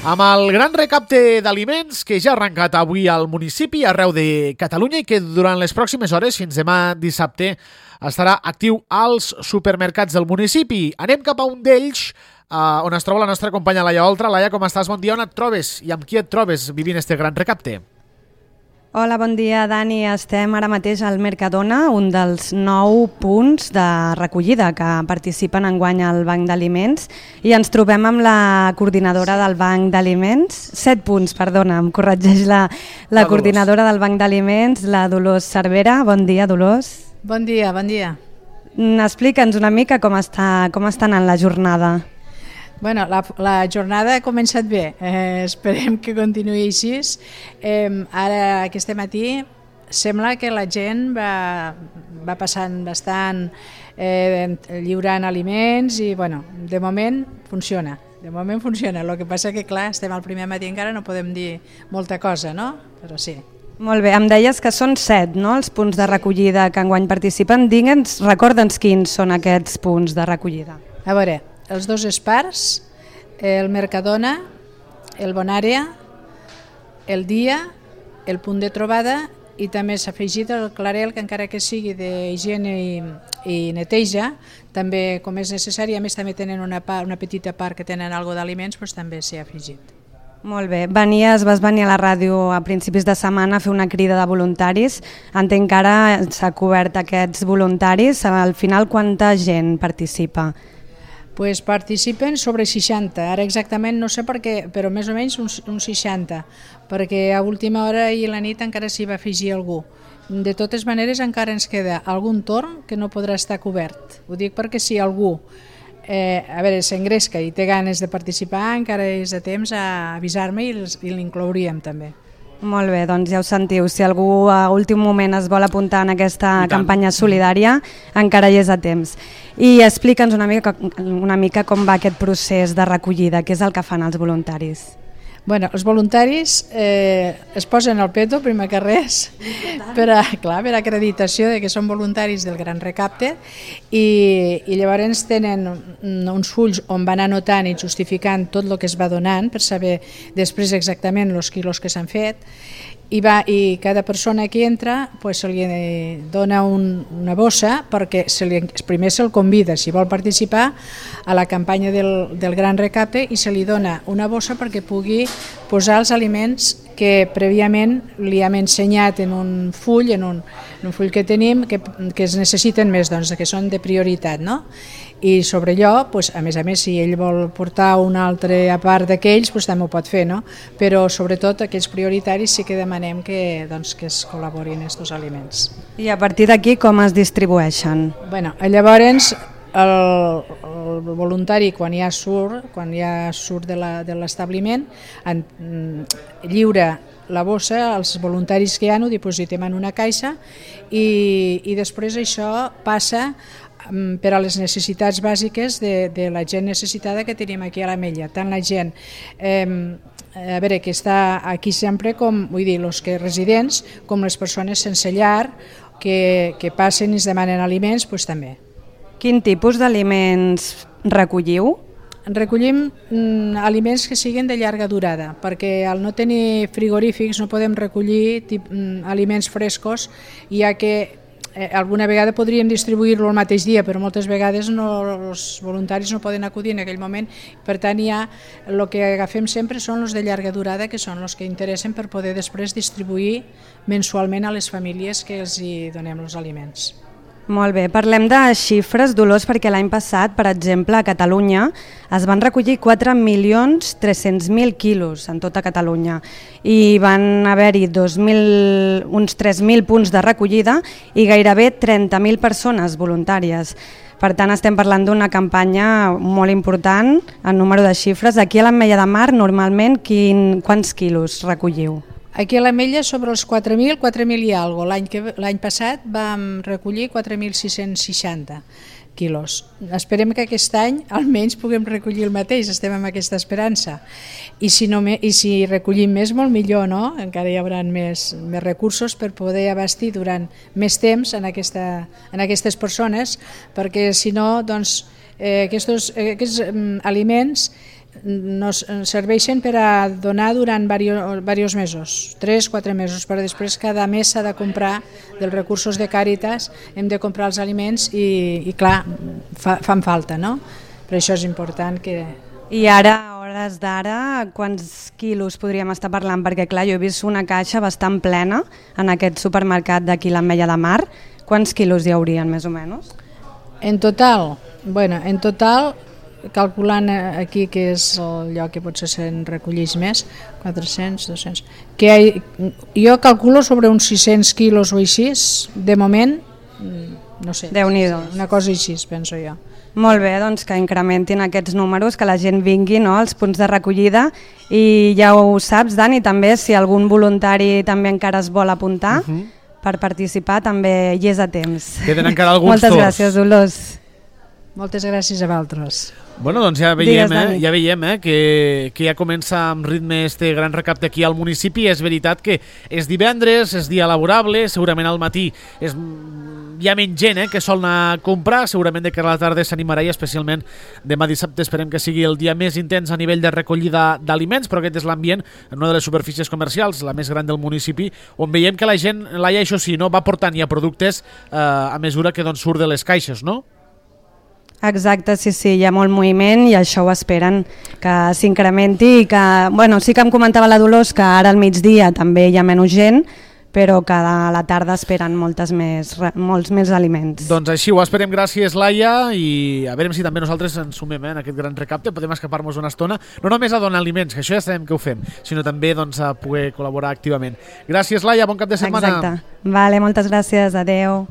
Amb el gran recapte d'aliments que ja ha arrencat avui al municipi arreu de Catalunya i que durant les pròximes hores, fins demà dissabte, estarà actiu als supermercats del municipi. Anem cap a un d'ells, on es troba la nostra companya Laia Oltra. Laia, com estàs? Bon dia, on et trobes i amb qui et trobes vivint este gran recapte? Hola, bon dia, Dani. Estem ara mateix al Mercadona, un dels 9 punts de recollida que participen enguany al Banc d'Aliments, i ens trobem amb la coordinadora del Banc d'Aliments, 7 punts, perdona, em corregeix la coordinadora del Banc d'Aliments, la Dolors Cervera. Bon dia, Dolors. Bon dia, bon dia. Explica'ns una mica com està anant la jornada. Bueno, la jornada ha començat bé, esperem que continuï així. Ara, aquest matí, sembla que la gent va passant bastant lliurant aliments i, bueno, de moment funciona. El que passa que, clar, estem al primer matí encara, no podem dir molta cosa, no? Però sí. Molt bé, em deies que són 7, no?, els punts de recollida que enguany participen. Recorda'ns quins són aquests punts de recollida. A veure, els dos Espars, el Mercadona, el Bonària, el Dia, el Punt de Trobada, i també s'ha afegit el Clarel, que encara que sigui d'higiene i neteja, també, com és necessari, a més també tenen una petita part que tenen alguna d'aliments, doncs també s'hi ha afegit. Molt bé, vas venir a la ràdio a principis de setmana a fer una crida de voluntaris. Entenc que ara s'ha cobert aquests voluntaris. Al final, quanta gent participa? Pues participen sobre 60, ara exactament no sé per què, però més o menys uns 60, perquè a última hora i la nit encara s'hi va afegir algú. De totes maneres encara ens queda algun torn que no podrà estar cobert. Ho dic perquè si algú s'engresca i té ganes de participar, encara és de temps a avisar-me i l'inclouríem també. Molt bé, doncs ja ho sentiu, si algú a últim moment es vol apuntar en aquesta campanya solidària, encara hi és a temps. I explica'ns una mica com va aquest procés de recollida, què és el que fan els voluntaris. Bueno, els voluntaris es posen al peto, primer que res, per acreditació de que són voluntaris del Gran Recapte, i llavors tenen uns fulls on van anotant i justificant tot el que es va donant per saber després exactament els quilos que s'han fet, i cada persona que entra se li dona una bossa perquè primer se'l convida, si vol participar a la campanya del Gran Recapte, i se li dona una bossa perquè pugui posar els aliments que prèviament li hem ensenyat en un full, full que tenim, que es necessiten més, doncs, que són de prioritat, no? I sobre allò, a més, si ell vol portar una altra a part d'aquells, també ho pot fer, no? Però sobretot aquells prioritaris sí que demanem que es col·laborin aquests aliments. I a partir d'aquí com es distribueixen? Llavors el voluntari quan ja surt de l'establiment lliura la bossa als voluntaris que hi ha, ho dipositem en una caixa i després això passa per a les necessitats bàsiques de la gent necessitada que tenim aquí a l'Ametlla, tant la gent que està aquí sempre, els que residents, com les persones sense llar que passen i es demanen aliments, també. Quin tipus d'aliments recolliu? Recollim aliments que siguin de llarga durada, perquè al no tenir frigorífics no podem recollir aliments frescos, ja que alguna vegada podríem distribuir-lo el mateix dia, però moltes vegades els voluntaris no poden acudir en aquell moment. Per tant, el que agafem sempre són els de llarga durada, que són els que interessen per poder després distribuir mensualment a les famílies que els hi donem els aliments. Molt bé, parlem de xifres, Dolors, perquè l'any passat, per exemple, a Catalunya es van recollir 4.300.000 quilos en tota Catalunya i van haver-hi uns 3.000 punts de recollida i gairebé 30.000 persones voluntàries. Per tant, estem parlant d'una campanya molt important en número de xifres. Aquí a l'Ametlla de Mar, normalment, quants quilos recolliu? Aquí a l'Ametlla sobre els 4.000 i alguna cosa. L'any passat vam recollir 4.660 quilos. Esperem que aquest any almenys puguem recollir el mateix, estem amb aquesta esperança. I si recollim més, molt millor, no? Encara hi haurà més recursos per poder abastir durant més temps en aquestes persones, perquè si no, doncs, aquests aliments serveixen per a donar durant diversos mesos, 3-4 mesos, però després cada mes s'ha de comprar dels recursos de Càritas, hem de comprar els aliments i clar, fan falta, no? Per això és important que... I ara, a hores d'ara, quants quilos podríem estar parlant? Perquè clar, jo he vist una caixa bastant plena en aquest supermercat d'aquí l'Ametlla de Mar. Quants quilos hi haurien, més o menys? En total, calculant aquí que és el lloc que potser se'n recolleix més, 400, 200, jo calculo sobre uns 600 quilos o així, de moment, no sé, Déu-n'hi-do. Una cosa així, penso jo. Molt bé, doncs que incrementin aquests números, que la gent vingui, no?, als punts de recollida, i ja ho saps, Dani, també si algun voluntari també encara es vol apuntar per participar, també hi és a temps. Queden encara alguns Moltes gràcies, Dolors. Moltes gràcies a vosaltres. Bueno, doncs ja veiem que ja comença amb ritme este gran recapte aquí al municipi. És veritat que és divendres, és dia laborable, segurament al matí hi ha menys gent que sol anar a comprar, segurament de que a la tarda s'animarà i especialment demà dissabte esperem que sigui el dia més intens a nivell de recollida d'aliments, però aquest és l'ambient en una de les superfícies comercials, la més gran del municipi, on veiem que la gent, Laia, això sí, no va portant ja productes a mesura que doncs, surt de les caixes, no? Exacte, sí, hi ha molt moviment i això ho esperen que s'incrementi i que, bueno, sí que em comentava la Dolors que ara al migdia també hi ha menys gent, però que a la tarda esperen molts més aliments. Doncs així ho esperem, gràcies Laia, i a veure si també nosaltres ens sumem en aquest gran recapte, podem escapar-nos una estona, no només a donar aliments, que això ja sabem que ho fem, sinó també doncs, a poder col·laborar activament. Gràcies Laia, bon cap de setmana. Exacte, vale, moltes gràcies, adeu.